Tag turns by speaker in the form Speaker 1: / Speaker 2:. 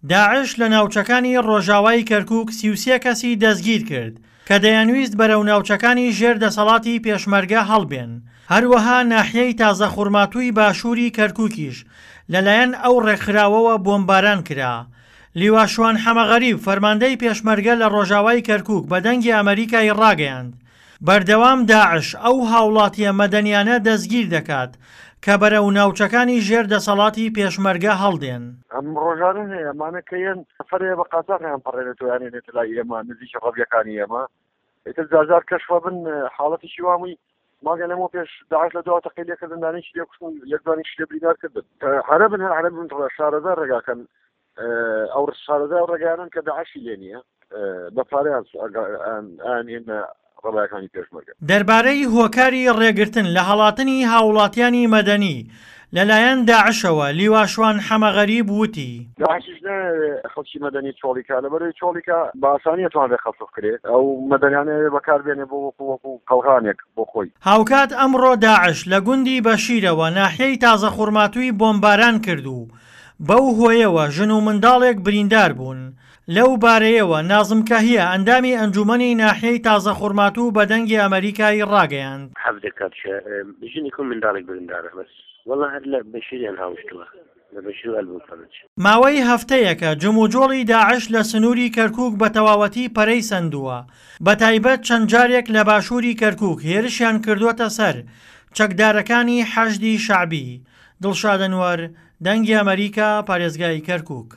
Speaker 1: داعش لە ناوچەکانی ڕۆژاوای کەرکوک 33 کەسی دەستگیر کرد کە دەیانویست بەرەو ناوچەکانی ژێر دەسەڵاتی پێشمەرگە هەڵبێن، هەروەها ناحیەی تازەخورماتووی باشووری کەرکوکیش لەلایەن ئەو ڕێکخراوەوە بۆمباران کرا. لیوا شوان حەمەغەریب فەرماندەی پێشمەرگە لە ڕۆژاوای کەرکوک بە دەنگی ئەمەریکای ڕاگەیاند، بەردەوام داعش ئەو هاوڵاتییە مەدەنیانە دەستگیر دەکات کە بەرەو ناوچەکانی ژێر دەسەڵاتی پێشمەرگە هەڵدێن.
Speaker 2: ئەم ڕۆژانە هەیە ئەمانە کە یەن سەفەرەیە بە قاچاخیان پەڕێنێتەوە یان هێنێتە لای ئێمە نزیکی ڕەبیەکانی ئێمە ئیتر جارجار کەشفە بن حاڵەتێکی وامووی مانگە لەمەوە پێش داعش لە دوا تەقەی لێکردن دانێکی لێ کوشتن یەک دوانیشی لێ بریندار کردن عەرەبن هەر عەرەبن شارەزا ڕێگاکەن ئەو شارەزا و ڕێگایانن کە داعشی لێ نییە بە پارەیان ئەیانهێننە ڕەبایەکانی پێشمەرگە.
Speaker 1: دەربارەی هۆکاری ڕێگرتن لە هەڵاتنی هاوڵاتیانی مەدەنی لەلایەن داعشەوە لیوا شوان حەمەغەریب وتی.
Speaker 2: داعشیش نایەوێ خەڵکی مەدەنی چۆڵی کا، لەبەرئەوەی چۆڵی کا بە ئاسانی ئەتوانرێ قەسف کرێ، ئەو مەدەنیانە ئەیەوێ بەکار بێنێ بۆ وەکو وەکو قەڵغانێک بۆ خۆی.
Speaker 1: هاوکات ئەمڕۆ داعش لە گوندی بەشیرەوە ناحیەی تازەخورماتووی بۆمباران کرد و بەو هۆیەوە ژن و منداڵێک بریندار بوون. لەو بارەیەوە نازم کەهیە ئەندامی ئەنجومەنی ناحیەی تازەخورماتوو بە دەنگی ئەمەریکای ڕاگەیاند.
Speaker 3: 17 کاتژمێر ژنێک و منداڵێک بریندارە بەس وەڵا هەر لە بەشیریان هاوشتووە لە بەشیر و ئەلبوفەرج.
Speaker 1: ماوەی هەفتەیەکە جموجۆڵی داعش لە سنووری کەرکووک بە تەواوەتی پەرەی سەندووە، بەتایبەت چەند جارێک لە باشووری کەرکووک هێرشیان کردووەتە سەر چەکدارەکانی حەشدی شەعبی. دڵشاد ئەنوەر، دەنگی ئەمەریکا، پارێزگای کەرکووک.